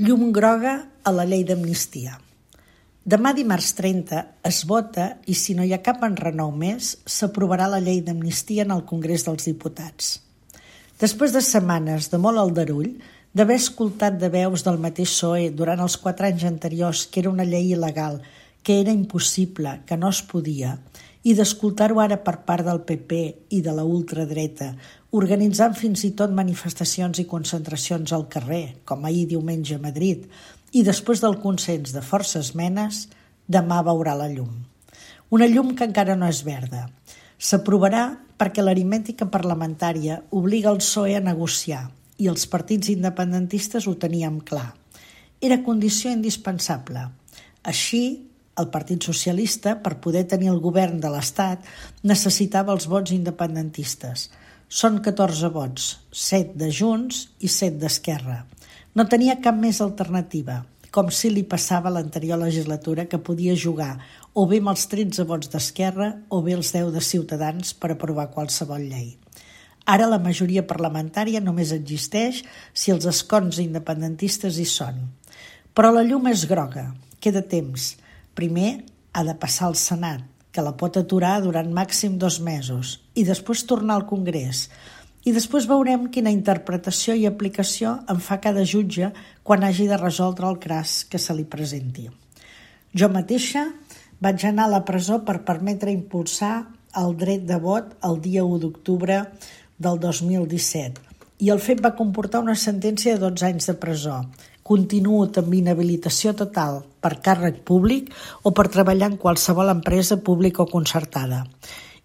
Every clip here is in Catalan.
Llum groga a la llei d'amnistia. Demà dimarts 30 es vota i si no hi ha cap enrenou més, s'aprovarà la llei d'amnistia en el Congrés dels Diputats. Després de setmanes de molt aldarull, d'haver escoltat de veus del mateix PSOE durant els 4 anys anteriors que era una llei il·legal, que era impossible, que no es podia, i d'escoltar-ho ara per part del PP i de la ultradreta, organitzant fins i tot manifestacions i concentracions al carrer, com ahir diumenge a Madrid, i després del consens de força esmenes, demà veurà la llum. Una llum que encara no és verda. S'aprovarà perquè l'aritmètica parlamentària obliga el PSOE a negociar i els partits independentistes ho teníem clar. Era condició indispensable. Així, el Partit Socialista, per poder tenir el govern de l'Estat, necessitava els vots independentistes. Són 14 vots, 7 de Junts i 7 d'Esquerra. No tenia cap més alternativa, com si li passava a l'anterior legislatura que podia jugar o bé amb els 13 vots d'Esquerra o bé els 10 de Ciutadans per aprovar qualsevol llei. Ara la majoria parlamentària només existeix si els escons independentistes hi són. Però la llum és groga, queda temps. Primer ha de passar al Senat, que la pot aturar durant màxim 2 mesos, i després tornar al Congrés. I després veurem quina interpretació i aplicació en fa cada jutge quan hagi de resoldre el cas que se li presenti. Jo mateixa vaig anar a la presó per permetre impulsar el dret de vot el dia 1 d'octubre del 2017, i el fet va comportar una sentència de 12 anys de presó. Continuo amb inhabilitació total per càrrec públic o per treballar en qualsevol empresa pública o concertada.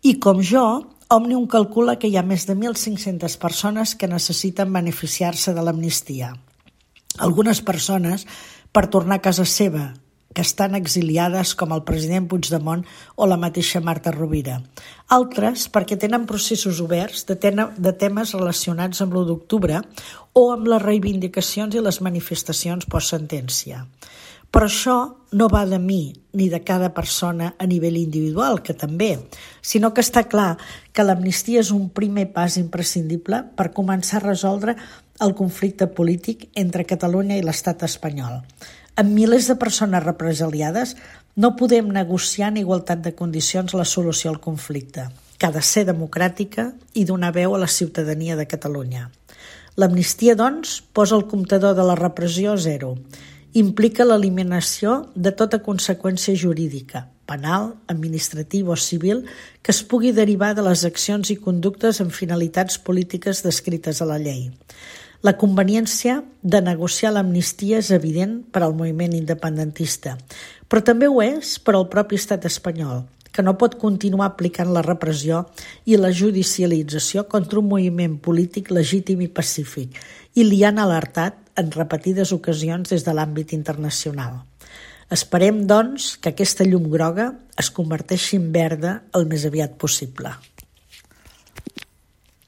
I com jo, Òmnium calcula que hi ha més de 1.500 persones que necessiten beneficiar-se de l'amnistia. Algunes persones per tornar a casa seva, que estan exiliades com el president Puigdemont o la mateixa Marta Rovira. Altres perquè tenen processos oberts de temes relacionats amb l'1 d'octubre o amb les reivindicacions i les manifestacions post-sentència. Però això no va de mi ni de cada persona a nivell individual, que també, sinó que està clar que l'amnistia és un primer pas imprescindible per començar a resoldre el conflicte polític entre Catalunya i l'estat espanyol. Amb milers de persones represaliades no podem negociar en igualtat de condicions la solució al conflicte, que ha de ser democràtica i donar veu a la ciutadania de Catalunya. L'amnistia, doncs, posa el comptador de la repressió a 0. Implica l'eliminació de tota conseqüència jurídica, penal, administrativa o civil, que es pugui derivar de les accions i conductes amb finalitats polítiques descrites a la llei. La conveniència de negociar l'amnistia és evident per al moviment independentista, però també ho és per al propi estat espanyol, que no pot continuar aplicant la repressió i la judicialització contra un moviment polític legítim i pacífic, i li han alertat en repetides ocasions des de l'àmbit internacional. Esperem, doncs, que aquesta llum groga es converteixi en verda el més aviat possible.